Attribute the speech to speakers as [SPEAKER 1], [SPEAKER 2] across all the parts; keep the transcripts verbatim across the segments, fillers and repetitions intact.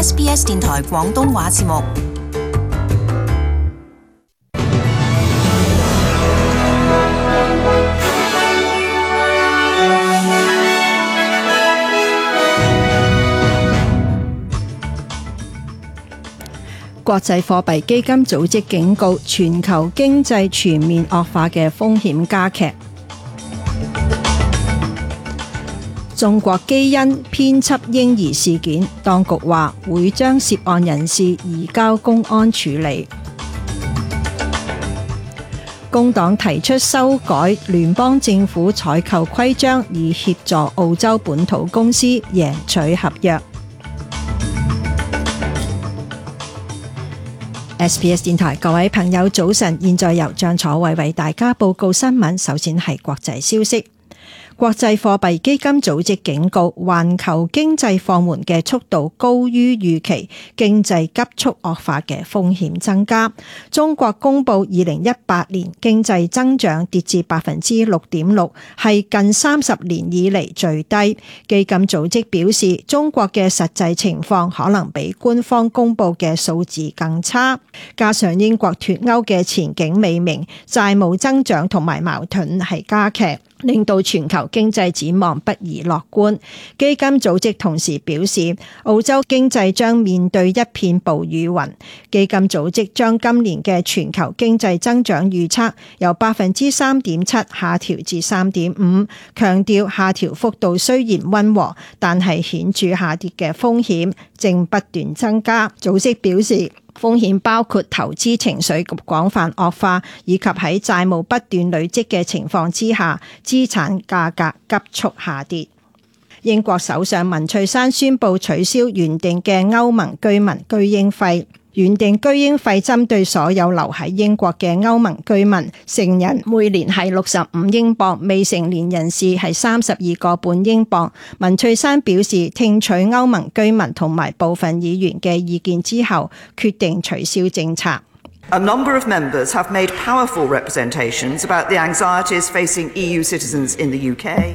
[SPEAKER 1] S B S 電台廣東話節目。
[SPEAKER 2] 國際貨幣基金組織警告，全球經濟全面惡化嘅風險加劇。中國基因編輯嬰兒事件，當局話會將涉案人士移交公安處理。工黨提出修改聯邦政府採購規章，以協助澳洲本土公司贏取合約。S B S 電台各位朋友早晨，現在由張楚慧為大家報告新聞。首先係國際消息。國際貨幣基金組織警告，環球經濟放緩嘅速度高於預期，經濟急速惡化嘅風險增加。中國公布二零一八年經濟增長跌至百分之六點六，係近三十年以嚟最低。基金組織表示，中國嘅實際情況可能比官方公布嘅數字更差，加上英國脫歐嘅前景未明，債務增長同埋矛盾係加劇，令到全球經濟展望不宜樂觀。基金組織同時表示，澳洲經濟將面對一片暴雨雲。基金組織將今年嘅全球經濟增長預測由百分之三點七下調至三點五，強調下調幅度雖然溫和，但係顯著下跌嘅風險正不斷增加。組織表示，風險包括投資情緒廣泛惡化，以及喺債務不斷累積嘅情況之下，資產價格急速下跌。英國首相文翠珊宣布取消原定嘅歐盟居民居英費。原定居英費針對所有留喺英國嘅歐盟居民，成人每年係六十五英鎊，未成年人士係三十二個半英鎊。文翠珊表示，聽取歐盟居民同埋部分議員嘅意見之後，決定取消政策。
[SPEAKER 3] A number of members have made powerful representations about the anxieties facing E U citizens in the U K。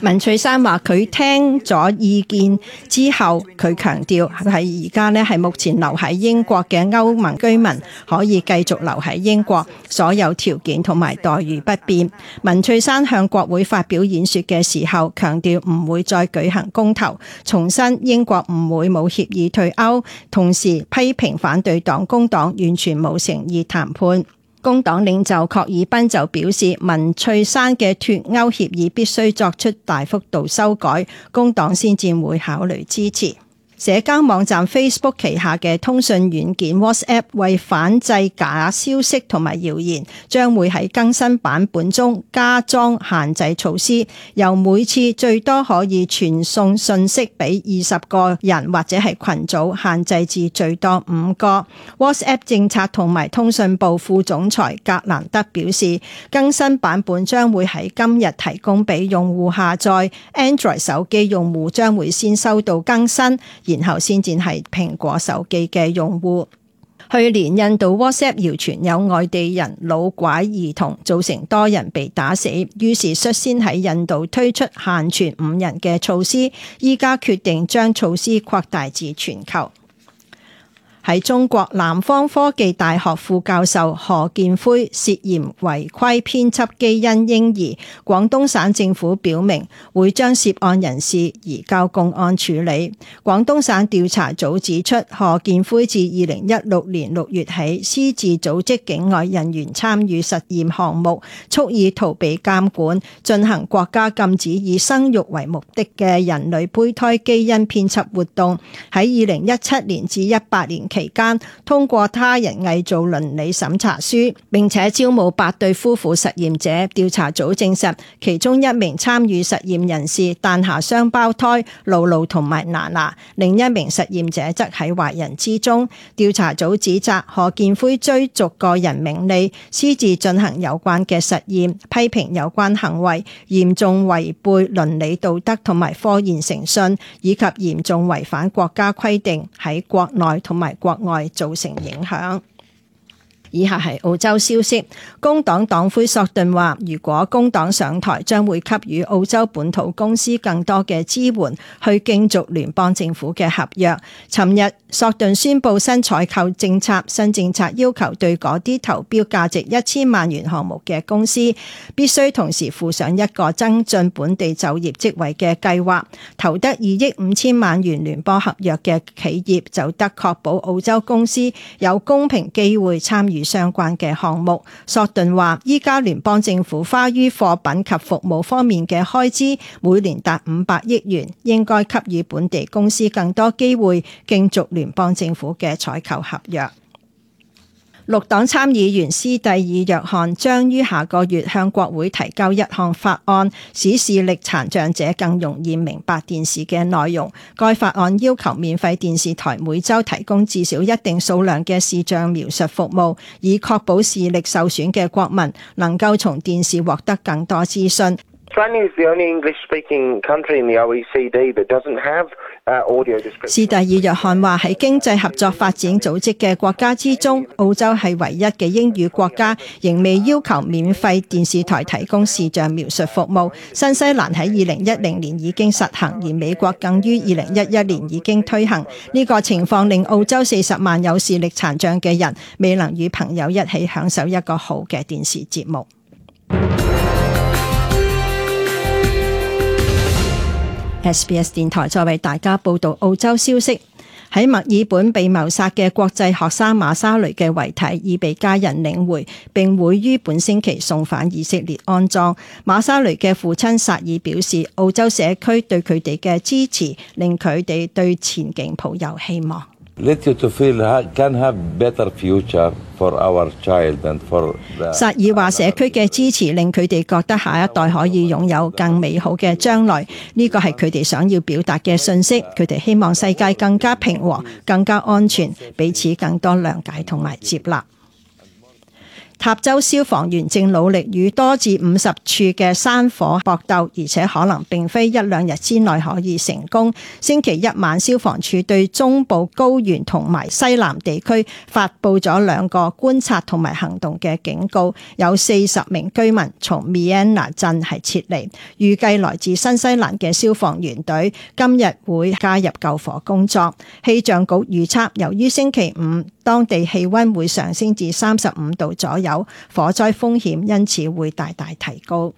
[SPEAKER 2] 文翠珊話佢聽咗意見之後，佢強調係而家呢係目前留喺英國嘅歐盟居民可以繼續留喺英國，所有條件同埋待遇不變。文翠珊向國會發表演說嘅時候，強調唔會再舉行公投，重申英國唔會冇協議退歐，同時批評反對黨工黨完全冇誠意談判。工黨領袖郝爾彬就表示，文翠珊嘅脫歐協議必須作出大幅度修改，工黨先至會考慮支持。社交網站 Facebook 旗下嘅通訊軟件 WhatsApp 為反制假消息同埋謠言，將會喺更新版本中加裝限制措施，由每次最多可以傳送信息俾二十個人或者係群組，限制至最多五個。WhatsApp 政策同埋通訊部副總裁格蘭德表示，更新版本將會喺今日提供俾用戶下載， Android 手機用戶將會先收到更新，然後先至係蘋果手機嘅用戶。去年印度 WhatsApp 謠傳有外地人擄拐兒童，造成多人被打死，於是率先喺印度推出限傳五人嘅措施，依家決定將措施擴大至全球。喺中國，南方科技大學副教授何建輝涉嫌違規編輯基因嬰兒，廣東省政府表明會將涉案人士移交公安處理。廣東省調查組指出，何建輝自二零一六年六月起，私自組織境外人員參與實驗項目，蓄意逃避監管，進行國家禁止以生育為目的嘅人類胚胎基因編輯活動。喺二零一七年至一八年期間，通過他人偽造倫理審查書，並且招募八對夫婦實驗者。調查組證實，其中一名參與實驗人士誕下雙胞胎露露同埋娜娜，另一名實驗者則喺懷孕之中。調查組指責何建輝追逐個人名利，私自進行有關嘅實驗，批評有關行為嚴重違背倫理道德同埋科研誠信，以及嚴重違反國家規定，喺國內同埋國外造成影響。以下係澳洲消息，工黨黨魁索頓話，如果工黨上台，將會給予澳洲本土公司更多嘅支援，去競逐聯邦政府嘅合約。尋日，索頓宣布新採購政策，新政策要求對嗰啲投標價值一千萬元項目嘅公司，必須同時附上一個增進本地就業職位嘅計劃。投得二億五千萬元聯邦合約嘅企業就得確保澳洲公司有公平機會參與相關嘅項目。索頓話，依家聯邦政府花於貨品及服務方面嘅開支每年達五百億元，應該給予本地公司更多機會競逐聯邦政府嘅採購合約。綠黨參議員斯蒂爾約翰將於下個月向國會提交一項法案，使視力殘障者更容易明白電視嘅內容。該法案要求免費電視台每週提供至少一定數量嘅視像描述服務，以確保視力受損嘅國民能夠從電視獲得更多資訊。
[SPEAKER 4] Australia is the only English-speaking country in the O E C D that doesn't have audio description.
[SPEAKER 2] 斯蒂爾約翰話，喺經濟合作發展組織嘅國家之中，澳洲係唯一嘅英語國家，仍未要求免費電視台提供視像描述服務。新西蘭喺二零一零年已經實行，而美國更於二零一一年已經推行。呢個情況令澳洲四十萬有視力殘障嘅人未能與朋友一起享受一個好嘅電視節目。S B S 電台再為大家報道澳洲消息。喺墨爾本被謀殺嘅國際學生馬沙雷嘅遺體已被家人領回，並會於本星期送返以色列安葬。馬沙雷嘅父親薩爾表示，澳洲社區對佢哋嘅支持令佢哋對前景抱有希望。薩爾話：社區嘅支持令佢哋覺得下一代可以擁有更美好嘅將來，呢個係佢哋想要表達嘅訊息。佢哋希望世界更加平和、更加安全，彼此更多諒解同埋接納。塔州消防員正努力與多至五十處嘅山火搏鬥，而且可能並非一兩日之內可以成功。星期一晚，消防處對中部高原同埋西南地區發布咗兩個觀察同埋行動嘅警告，有四十名居民從 Miena 鎮係撤離。預計來自新西蘭嘅消防員隊今日會加入救火工作。氣象局預測，由於星期五當地氣溫會上升至三十五度左右，火災風險因此會大大提高。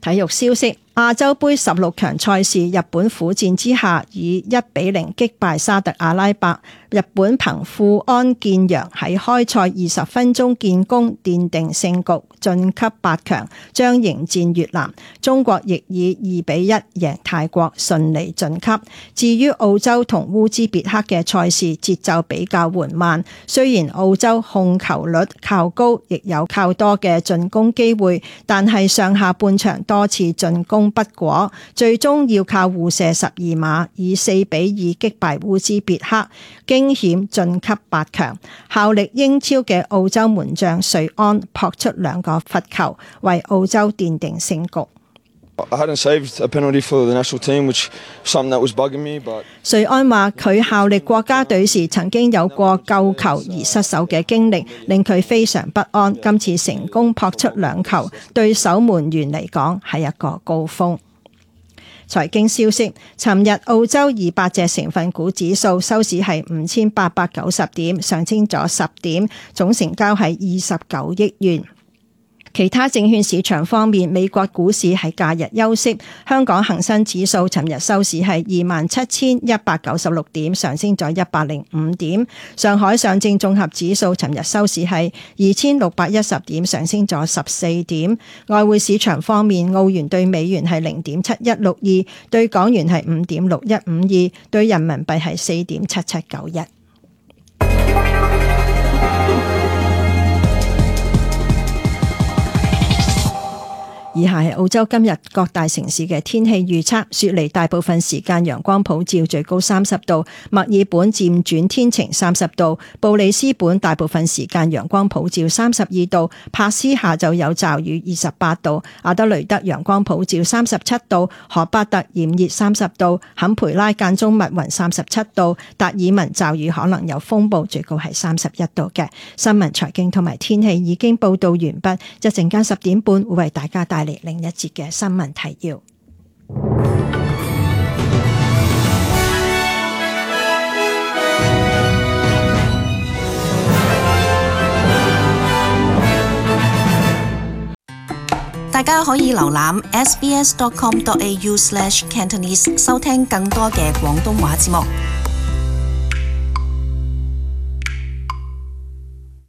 [SPEAKER 2] 體育消息。亞洲盃十六強賽事，日本苦戰之下以一比零擊敗沙特阿拉伯。日本憑富安健洋喺開賽二十分鐘建功，奠定勝局，晉級八強，將迎戰越南。中國亦以二比一贏泰國，順利晉級。至於澳洲同烏茲別克嘅賽事節奏比較緩慢，雖然澳洲控球率靠高，亦有靠多嘅進攻機會，但係上下半場多次進攻不果，最終要靠互射十二碼以四比二擊敗烏茲別克，驚險晉級八強。效力英超嘅澳洲門將瑞安撲出兩個罰球，為澳洲奠定勝局。瑞安話佢效力國家隊時曾經有過救球而失手嘅經歷，令佢非常不安。今次成功撲出兩球，對守門員嚟講係一個高峰。財經消息，尋日澳洲二百隻成分股指數收市係五千八百九十點，上升咗十點，總成交係二十九億元。其他證券市場方面，美國股市係假日休息。香港恒生指數尋日收市係二萬七千一百九十六點，上升咗一百零五點。上海上證綜合指數尋日收市係二千六百一十點，上升咗十四點。外匯市場方面，澳元對美元係零點七一六二，對港元係五點六一五二，對人民幣係四點七七九一。以下係澳洲今日各大城市嘅天氣預測：雪梨大部分時間陽光普照，最高三十度；墨爾本漸轉天晴，三十度；布里斯本大部分時間陽光普照，三十二度；珀斯下晝有驟雨，二十八度；阿德雷德陽光普照，三十七度；荷巴特炎熱，三十度；坎培拉間中密雲，三十七度；達爾文驟雨可能有風暴，最高係三十一度嘅。新聞、財經同埋天氣已經報道完畢，一陣間十點半會為大家帶嚟另一節嘅新聞提要。
[SPEAKER 1] 大家可以瀏覽 s b s dot com dot a u slash cantonese 收聽更多嘅廣東話節目。